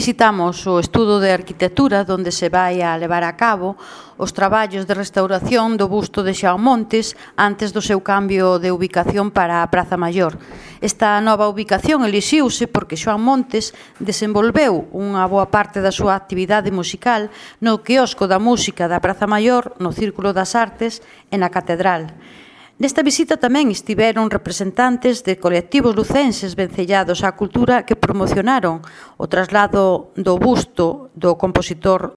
visitamos o estudo de arquitectura onde se vai a levar a cabo os traballos de restauración do busto de Xoán Montes antes do seu cambio de ubicación para a Praza Maior. Esta nova ubicación elixiuse porque Xoán Montes desenvolveu unha boa parte da súa actividade musical no quiosco da música da Praza Maior, no Círculo das Artes e na Catedral. Nesta visita tamén estiveron representantes de colectivos lucenses vencellados á cultura que promocionaron o traslado do busto do compositor